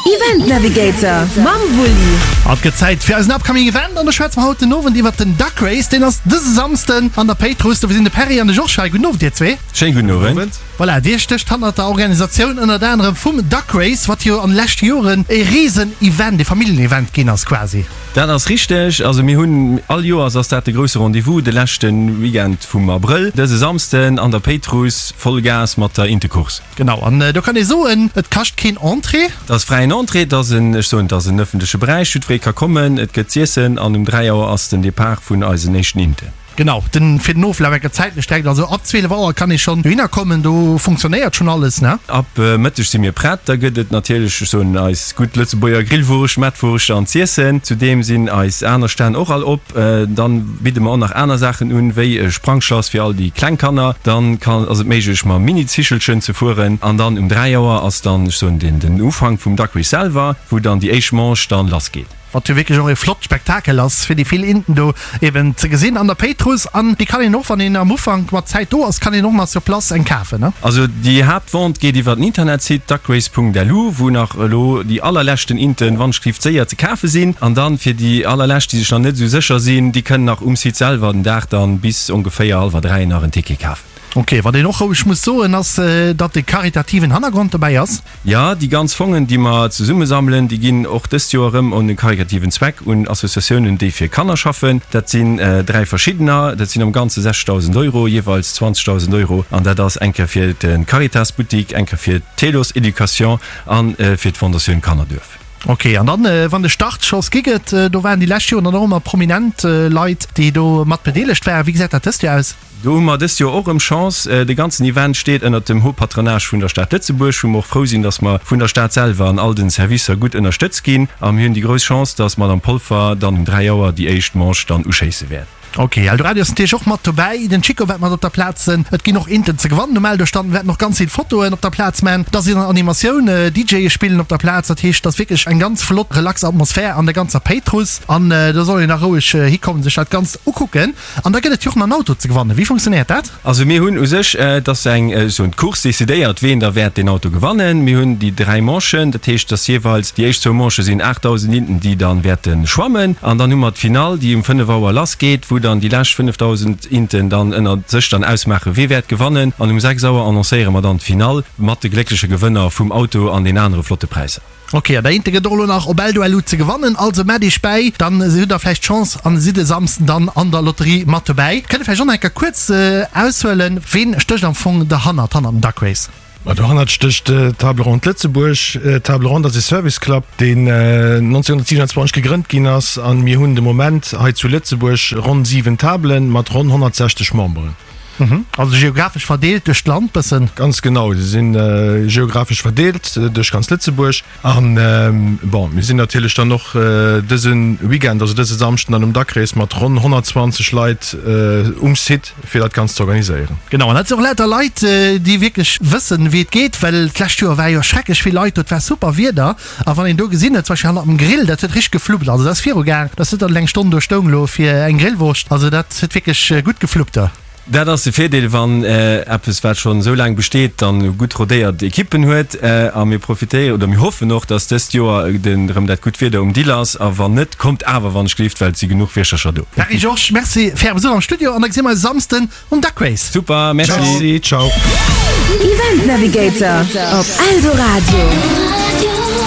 Event Navigator mam Wulli. Et gëtt Zäit fir eisen upcoming Event an do schwätze mer haut den Owend iwwert den Duck Race. Deen ass dëse Samsden an der Péitruss. Dofir sinn de Perry an de Georges hei. Gudden Owend dir zwee. Schéin gudden Owend. Voilà, dir stécht hannert der Organisatioun ënnert anerem vum Duck Race, wat jo an de leschte Joren e riesen Event, e Familljen-Event ginn ass quasi. Dat ass richteg. Also mir hunn all Joers ass dat de grousse Rendez-vous, de leschte Weekend vum Abrëll, dëse Samsden an der Péitruss, voll Gas mat der Intecourse. Genau, an do kann ee soen, et kascht keen Entrée. Et ass fräien Entrée, et ass en, ech soen, et ass en ëffentleche Beräich, jiddweree ka kommen, et gëtt z'iessen an um 3 Auer ass den Depart vun eisen éischten Inten. Genau, den, fir den Oflaf enker zäitlech direkt, also ab 12 Auer kann ee schonn dohinner kommen, do funktionéiert schonn alles, ne? Ab Mëtteg si mir prett, da gëtt et natierlech, ech soen, eis gutt Lëtzebuerger Grillwurscht, Mettwurscht an z'iessen. Zudeem sinn eis aner Stänn och all op. Dann bidde mer och nach aner Saachen un, wéi e Sprangschlass fir all déi kleng Kanner. Dann kann, ass et méiglech mam Mini-Zichelchen ze fueren. An dann um 3 Auer ass dann, ech soen, den, den Ufank vum Duck Race selwer, wou dann déi éischt Manche dann lass geet. Wat jo wierklech och e flott Spektakel ass, fir déi vill Inten do eben ze gesinn an der Péitruss. An déi kann een och, wann een am Ufank mat Zäit do ass, kann een och nach sur place eng kafen, ne? Also déi Haaptvente geet iwwer den Internetsite duckrace.lu, wou nach elo déi allerleschten Inten wannschgelift séier ze kafe sinn. An dann fir déi allerlescht, déi sech nach net esou sécher sinn, déi kënnen nach um Site selwer den Dag dann bis ongeféier hallwer 3 nach en Ticket kafen. Ok, wat een och roueg muss soen, ass, datt e karitativen Hannergrond dobäi ass. Jo, déi ganz Fongen, déi mer zesummesammelen, déi ginn och dëst Joer erëm un e karikativen Zweck, un Associatiounen, déi fir Kanner schaffen. Dat sinn 3 verschiddener, dat sinn am Ganze 60.000 Euro, jeeweils 20.000 Euro. An dat ass eng Kéier fir de Caritas Buttik, eng Kéier fir d'Telos Education a fir d'Fondatioun Kannerduerf. Ok, an dann, wann de Startschoss gi gëtt, do waren déi lescht Joren dann och ëmmer prominent Leit, déi do mat bedeelegt waren. Wéi gesäit dat dëst Joer aus? Do hu mer dëst Joer och erëm Chance. De ganzen Event steet ënnert dem Haut Patronage vun der Stad Lëtzebuerg, wou mer och frou sinn, dass mer vun der Stad selwer an all den Servicer gutt ënnerstëtzt ginn. A mir hunn déi grouss Chance, dass d'Madame Polfer dann um 3 Auer déi éischt Manche dann uschéisse wäert. Ok, Eldoradio ass natierlech och mat dobäi. Den Chico wäert mat op der Plaz sinn. Et ginn och Inten ze gewannen um Eldo-Stand. Mir wäerten och ganz vill Fotoen op der Plaz man. Da sinn Animatioun, DJe spillen op der Plaz. Dat heescht, et ass wierklech eng ganz flott, relax Atmosphär an der ganzer Péitruss. An do soll een da roueg hikommen, sech dat Ganzt ukucken. An da gëtt et jo och nach en Auto ze gewannen. Wéi funktionéiert dat? Also mir hunn u sech, et ass eng, ech soen, d'Course decidéiert, ween da wäert deen Auto gewannen. Mir hunn déi 3 Manchen, dat heescht, dass jeeweils déi éischt zwou Manchë sinn 8.000 Inten, déi dann wäerte schwammen. An dann hu mer d'Finall, déi um 5 Auer lass geet, wou dann déi lescht 5.000 Inten dann ënner sech dann ausmaachen, wee wäert gewannen. An um 6 Auer annoncéiere mer dann d'Finall mat de gléckleche Gewënner vum Auto an den anere flotte Präisser. Ok, an der Inte gëtt och elo nach op Eldo.lu ze gewannen, also mett iech bäi, dann hutt der vläicht d'Chance an sidd e Samsden dann an der Lotterie mat dobäi. Kënnt der vläicht och nach eng Kéier kuerz aushuelen, ween stécht am Fong derhannert, hannert dem Duck Race? Ma dohannert stécht d'Table Ronde Lëtzebuerg. D'Table Ronde ass e Service Club, deen 1927 gegrënnt ginn ass an mir hunn de Moment hei zu Lëtzebuerg ronn 7 Tabelen mat ronn 160 Memberen. Also geographesch verdeelt duerch d'Land bëssen? Ganz genau, se sinn geographesch verdeelt duerch ganz Lëtzebuerg. An bon, mir sinn natierlech dann och dëse Weekend, also dëse Samschden dann um Duck Race mat ronn 120 Leit um Site, fir dat Ganzt ze organiséieren. Genau, an dat sinn och lauter Leit, déi wierklech wëssen, wéi et geet, well d'lescht Joer war jo schrecklech vill Leit do, et war super Wieder. A wann een do gesinn huet, zum Beispill hannert dem Grill, dat huet richteg gefluppt. Also dat ass viru gaang, dass net dann eng Stonn do stoung elo fir eng Grillwurscht. Also dat huet wierklech gutt gefluppt do. Dat ass de Virdeel, wann eppes, wat schonn esou laang besteet, dann gutt rodéiert Ekippen huet. A mir profitéieren, oder mir hoffen och, dass dëst Joer erëm dat gutt Wieder um Dill ass. A wann net, kommt awer wann ech gelift, well et si genuch Wirchercher do. Pierre Georges, Merci fir Äre Besuch am Studio an da gesi mer eis e Samsden Um Duck Race. Super, merci. Merci, ciao. Event Navigator op Eldoradio.